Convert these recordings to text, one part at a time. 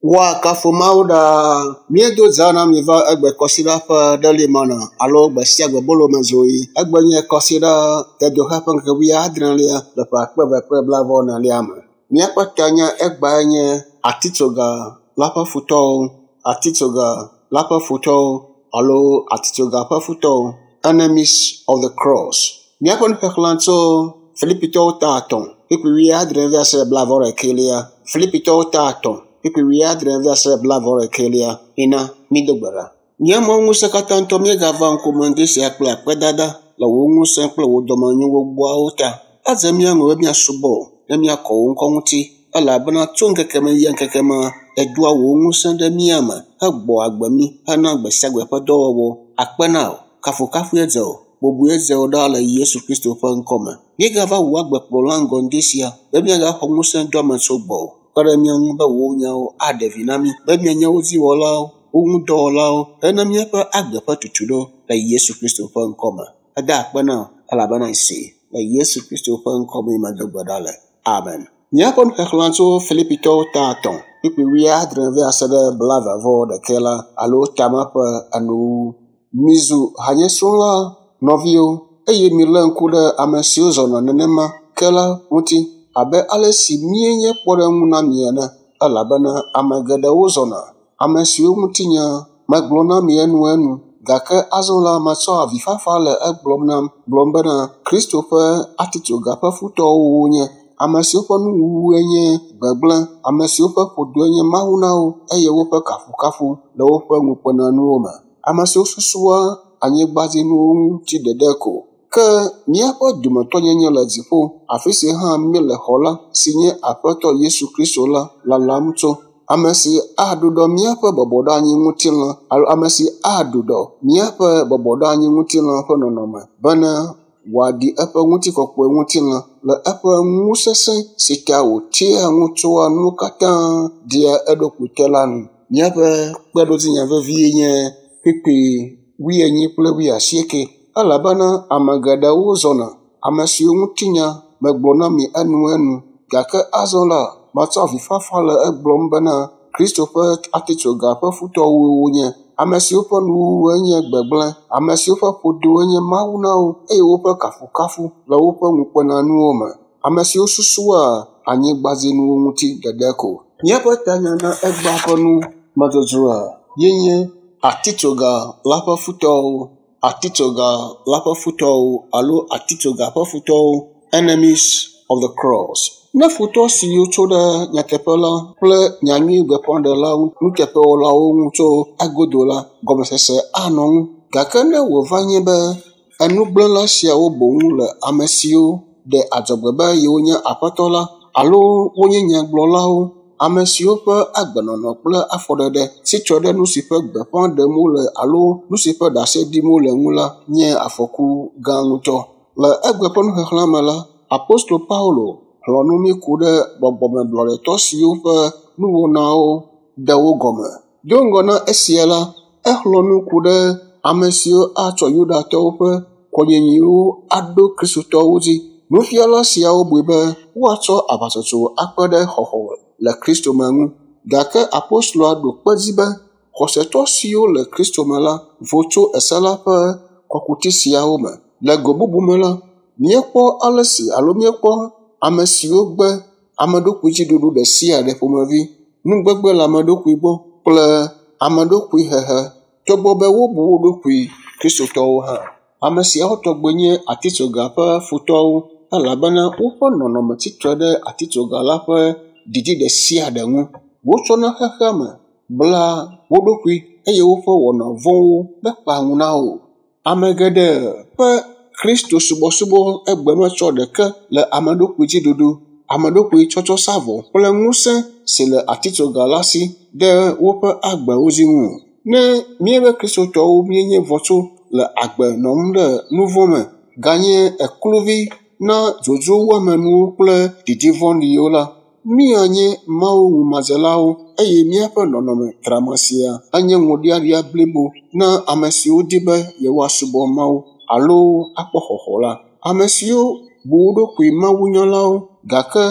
Woakafu Mawu ɖaa. Míedo dza na mi va egbe kɔsiɖa ƒe ɖeli mana alo gbe sia gbe bolomezoɣi. Egbe nye kɔsiɖa dedoxe ƒe ŋkeke wuiadrelia le ƒe akpe eve kple blaeve-vɔ-enelia me. Míaƒe tanya egbae nye atitsoga la ƒe futɔwo, atitsoga la ƒe futɔwo alo atitsoga ƒe futɔwo, enemies of the cross. Míaƒe nuxexlẽ tso Filipitɔwo ta 3 kpukpui 70 va se 71. Filipitɔwo ta 3 kpukpui 70 va se 71. Mina mído gbe ɖa. Nye Mawu ŋusẽkatãtɔ, míegava ŋkume ŋdi sia kple akpedada le wò ŋusẽ kple wò dɔmenyo gbogboawo ta. Edze mía ŋu be míasubɔ wò ne míakɔ wò ŋkɔ ŋuti elabena tso ŋkeke me yi ŋkeke me èdoa wò ŋusẽ ɖe mía me hegbɔ agbe mí hena gbe sia gbe ƒe dɔwɔwɔ. Akpe na wò, kafukafue dze wò, bubue dze wò ɖaa le Yesu Kristo ƒe ŋkɔ me. Míegava wò agbekplɔla ŋgɔ ŋdi sia be míagaxɔ ŋusẽ doame tso gbɔwò. Kpe ɖe mía ŋu be wò nyawo aɖe vi na mí be míanye wo dziwɔlawo, wo ŋudɔwɔlawo hena míaƒe agbe ƒe tutuɖo le Yesu Kristo ƒe ŋkɔ me. Eda akpe na wò elabena èsee le Yesu Kristo ƒe ŋkɔ me medo gbe ɖa le. Amen. Míaƒe nuxexlẽ tso Filipitɔwo ta 3 kpukpui 70 va se ɖe 71 la alo tame ƒe enuwuwu. Mizu hanyesrɔ̃la nɔviwo eye milé ŋku ɖe ame siwo zɔna nenema ke la ŋuti abe ale si míenye kpɔɖeŋu na mi ene elabena ame geɖewo zɔna, ame siwo ŋutinya megblɔ na mi enuenu gake azɔ la metsɔ avifafa le egblɔm nam gblɔm bena Kristo ƒe atitsoga ƒe futɔwo wonye, ame siwo ƒe nuwuwue nye gbegblẽ, ame siwo ƒe ƒodoe nye Mawu na wo eye woƒe kafukafu le woƒe ŋukpenanuwo me, ame siwo susua anyigbadzinuwo ŋuti ɖeɖe ko. Ke míaƒe dometɔnyenye le dziƒo, afi si hã míele xɔla si nye Aƒetɔ Yesu Kristo la lalam tso. Ame si aɖuɖɔ míaƒe bɔbɔɖoanyi ŋutilã alo ame si aɖuɖɔ míaƒe bɔbɔɖoanyi ŋutilã ƒe nɔnɔme bena wòaɖi eƒe ŋutikɔkɔe ŋutilã le eƒe ŋusesẽ si ta wòtea ŋu tsoa nuwo katã ɖia eɖokui te la nu. Míaƒe kpeɖodzinya vevie nye kpukpui 80 kple 80 elabena ame geɖewo zɔna, ame siwo ŋutinya megblɔ na mi enuenu gake azɔ la metsɔ avifafa le egblɔm bena Kristo ƒe atitsoga ƒe futɔwo wonye, ame siwo ƒe nuwuwue nye gbegblẽ, ame siwo ƒe ƒodoe nye Mawu na wo eye woƒe kafukafu le woƒe ŋukpenanuwo me, ame siwo susua anyigbadzinuwo ŋuti ɖeɖe ko. Míaƒe tanya na egbea ƒe numedzodzroa yenye atitsoga la ƒe futɔwo, atitsoga la ƒe futɔwo alo atitsoga ƒe futɔwo, enemies of the cross. Ne futɔ siwo tso ɖe nyateƒe la kple nyanyui gbeƒãɖelawo nuteƒewɔlawo ŋu tso egodo la, gɔmesese anɔ ŋu. Gake ne wòva nye be enugblẽla siawo boŋ le ame siwo ɖe adzɔgbe be yewonye aƒetɔ la alo wonye nyagblɔlawo, ame siwo ƒe agbenɔnɔ kple afɔɖeɖe si tsɔ ɖe nu si ƒe gbeƒã ɖem wole alo nu si ƒe ɖase ɖim wole ŋu la nye afɔku gã ŋutɔ. Le egbe ƒe nuxexlẽ me la, Apostolo Paulo xlɔ̃ nu mí ku ɖe gbɔgbɔmeblɔɖetɔ siwo ƒe nuwɔnawo ɖe wo gɔme. Do ŋgɔ na esia la, exlɔ̃ nu ku ɖe ame siwo atsɔ Yudatɔwo ƒe kɔnyinyiwo aɖo Kristotɔwo dzi. Nufiala siawo bui be woatsɔ aʋatsotso akpe ɖe xɔxɔ le Kristo me ŋu. Gake apostoloa ɖo kpe edzi be xɔsetɔ siwo le Kristo me la vo tso ese la ƒe kɔkuti siawo me. Le go bubu me la, míekpɔ ale si alo míekpɔ ame siwo gbe ameɖokuidziɖuɖu ɖe sia ɖe ƒomevi, nugbegbe le ameɖokui gbɔ kple ameɖokuihehe togbɔ be wobu wo ɖokui Kristotɔwo hã. Ame siawo tɔgbe nye atitsoga ƒe futɔwo elabena woƒe nɔnɔme tsitre ɖe atitsoga la ƒe didi ɖe sia ɖe ŋu. Wotsɔna xexea me bla wo ɖokui eye woƒe wɔna vɔ̃wo mekpea ŋu na wo o. Ame geɖe ƒe Kristo subɔsubɔ egbe metsɔ ɖeke le ameɖokuidziɖuɖu, ameɖokui tsɔtsɔ sa vɔ kple ŋusẽ si le atitsoga la si ɖe woƒe agbewo dzi ŋu o. Ne míebe Kristotɔwo míenye vɔ tso le agbe nɔm ɖe nu vɔ̃ me ganye ekluvi na dzodzro wuamenuwo kple didi vɔ̃ɖiwo la, míanye Mawu ŋumadzelawo eye míaƒe nɔnɔme trama sia anye ŋuɖiaɖia blibo na ame siwo di be yewoasubɔ Mawu alo akpɔ xɔxɔ la. Ame siwo bu wo ɖokui mawunyalawo gake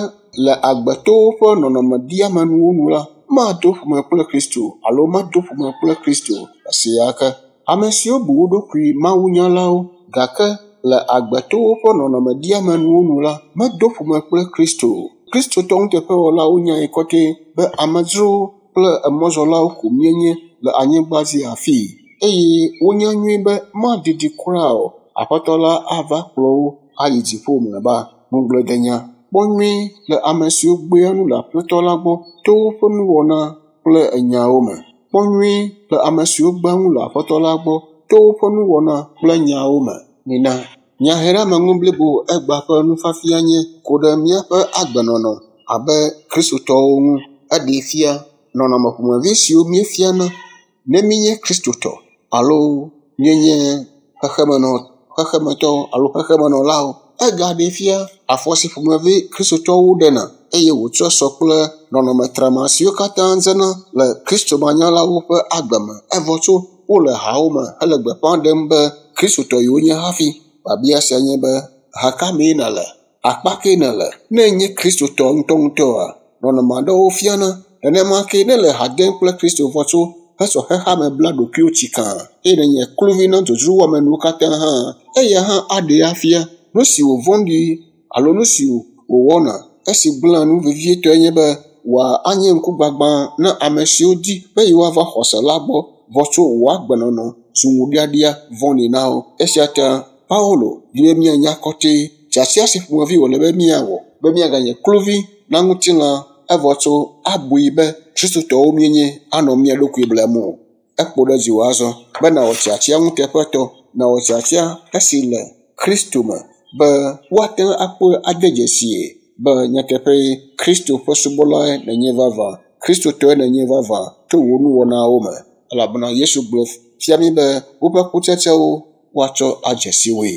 le agbetowo ƒe nɔnɔme ɖiamenuwo nu la, mado ƒome kple Kristo alo mado ƒome kple Kristo esia ke. Ame siwo bu wo ɖokui mawunyalawo gake le agbetowo ƒe nɔnɔme ɖiamenuwo nu la, medo ƒome kple Kristo o. Kristotɔ nuteƒewɔlawo nyae kɔtɛ be amedzrowo kple emɔzɔlawo ko míenye le anyigba dzi afii eye wonya nyuie be madidi kura o, Aƒetɔ la ava kplɔ wo ayi dziƒo mlɔeba. Ŋugbledenya. Kpɔ nyuie le ame siwo gbea nu le Aƒetɔ la gbɔ to woƒe nuwɔna kple nyawo me. Kpɔ nyuie le ame siwo gbea nu le Aƒetɔ la gbɔ to woƒe nuwɔna kple nyawo me. Mina nyaheɖeameŋu blibo egbea ƒe nufiafia nye ku ɖe míaƒe agbenɔnɔ abe Kristotɔwo ŋu. Eɖee fia nɔnɔme ƒomevi siwo míefiana ne míenye Kristotɔ alo míenye xexemetɔwo alo xexemenɔlawo. Egaɖee fia afɔ si ƒomevi Kristotɔwo ɖena eye wòtsɔ sɔ kple nɔnɔme trama siwo katã dzena le Kristomanyalawo ƒe agbe me evɔ tso wole hawo me hele gbeƒã ɖem be Kristotɔ yewonye hafi. Biabia sia nye be, ha ka mee nèle? Akpa kee nèle? Ne ènye Kristotɔ ŋutɔŋutɔa, nɔnɔme aɖewo fiana. Nenema kee ne èle ha dem kple Kristo vɔ tso hesɔ xexeame bla ɖokuiwò tsikaa eye nènye kluvi na dzodzro wɔamenuwo katã hã, eya hã aɖee afia nu si wòvɔ̃ɖi alo nu si wòwɔna. Esi gblẽa nu vevietɔe nye be wòanye ŋkugbagba na ame siwo di be yewoava xɔse la gbɔ vɔ tso wò agbenɔnɔ zu ŋuɖiaɖia vɔ̃ɖi na wo. Esia ta Paulo di be míanya kɔtɛ tiatia si ƒomevi wòle be míawɔ be míaganye kluvi na ŋutilã evɔ tso abui be Kristotɔwo míenye anɔ mía ɖokui blem o. Ekpo ɖe dziwò azɔ be nàwɔ tiatia nuteƒetɔ, nàwɔ tiatia esi le Kristo me be woate ŋu akpɔe ade dzesie be nyateƒee Kristo ƒe subɔlae nènye vavã, Kristotɔe nènye vavã to wò nuwɔnawo me. Elabena Yesu gblɔ fia mí be woƒe kutsetsewo woatsɔ adze si woe.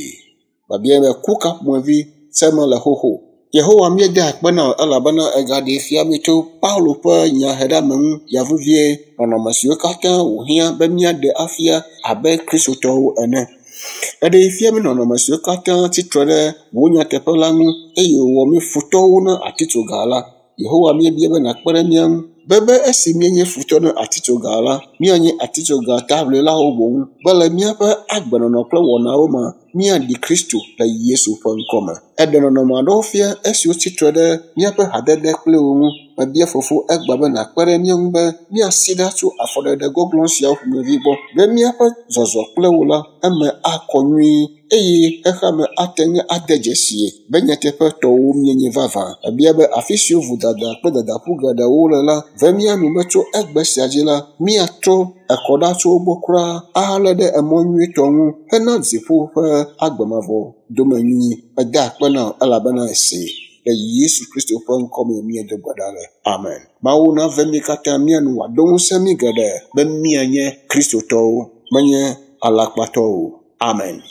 Biabiae be ku ka ƒomevi sem mele xoxo? Yehowa míeda akpe na wò elabena ègaɖee fia mí tso Paulo ƒe nyaheɖeameŋu ya vevie nɔnɔme siwo katã wòhiã be míaɖe afia abe Kristotɔwo ene. Eɖee fia mí nɔnɔme siwo katã tsi tre ɖe wò nyateƒe la ŋu eye wòwɔ mí futɔwo na atitsoga la. Yehowa míebia be nàkpe ɖe mía ŋu be be esi míenye futɔ na atitsoga la, míanye atitsoga taʋlilawo boŋ be le míaƒe agbenɔnɔ kple wɔnawo me míaɖi Kristo le Yesu ƒe ŋkɔ me. Eɖe nɔnɔme aɖewo fia esiwo tsi tre ɖe míaƒe hadede kpli wo ŋu. Mebia Fofo egbea be nàkpe ɖe mía ŋu be míasi ɖa tso afɔɖeɖe gɔglɔ̃ siawo ƒomevi gbɔ be míaƒe zɔzɔ kple wo la eme akɔ nyuie eye xexeame ate ŋu ade dzesie be nyateƒetɔwo míenye vavã. Ebia be afi siwo vodada kple dadaƒu geɖewo le la ve mía nu be tso egbe sia dzi la, míatrɔ ekɔ ɖa tso wo gbɔ kura ahalé ɖe emɔ nyuietɔ ŋu hena dziƒo ƒe agbe mavɔ domenyinyi. Meda akpe na wò elabena èsee. Le Yesu Kristo ƒe ŋkɔ me míedo gbe ɖa le. Amen. Mawu nave mí katã mía nu wòado ŋusẽ mí geɖe be míanye Kristotɔwo, menye alakpatɔwo o. Amen.